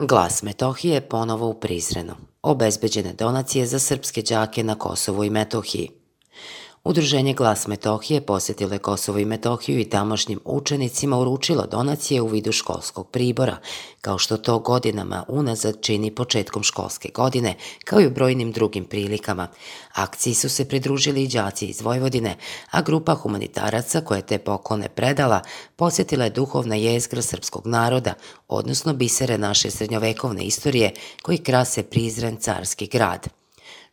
Glas Metohije ponovo u Prizrenu. Obezbeđene donacije za srpske đake na Kosovu i Metohiji. Udruženje Glas Metohije posjetilo je Kosovo i Metohiju i tamošnjim učenicima uručilo donacije u vidu školskog pribora, kao što to godinama unazad čini početkom školske godine, kao i u brojnim drugim prilikama. Akciji su se pridružili i đaci iz Vojvodine, a grupa humanitaraca koja je te poklone predala posjetila je duhovna jezgra srpskog naroda, odnosno bisere naše srednjovekovne istorije koji krase Prizren, carski grad.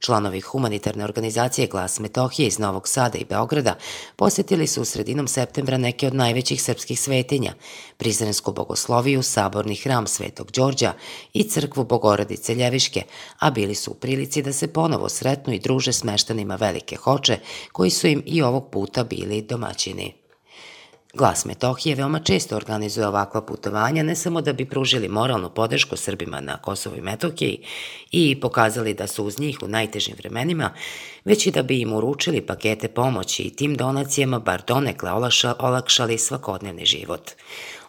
Članovi humanitarne organizacije Glas Metohije iz Novog Sada i Beograda posjetili su u sredinom septembra neke od najvećih srpskih svetinja, Prizrensku bogosloviju, saborni hram Svetog Đorđa i crkvu Bogorodice Ljeviške, a bili su u prilici da se ponovo sretnu i druže s meštanima Velike Hoče, koji su im i ovog puta bili domaćini. Glas Metohije veoma često organizuje ovakva putovanja, ne samo da bi pružili moralnu podršku Srbima na Kosovu i Metohiji i pokazali da su uz njih u najtežim vremenima, već i da bi im uručili pakete pomoći i tim donacijama bar donekle olakšali svakodnevni život.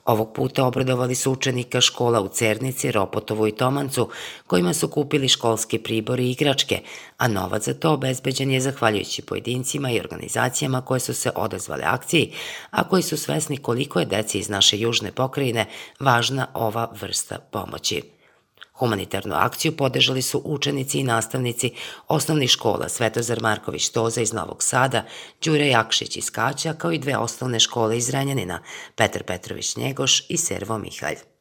Ovog puta obradovali su učenika škola u Cernici, Ropotovu i Tomancu, kojima su kupili školski pribor i igračke, a novac za to obezbeđen je zahvaljujući pojedincima i organizacijama koje su se odazvale akciji, a koji su svesni koliko je deci iz naše južne pokrajine važna ova vrsta pomoći. Humanitarnu akciju podržali su učenici i nastavnici osnovnih škola Svetozar Marković Toza iz Novog Sada, Đure Jakšić iz Kaća, kao i dve osnovne škole iz Renjanina, Petar Petrović Njegoš i Servo Mihalj.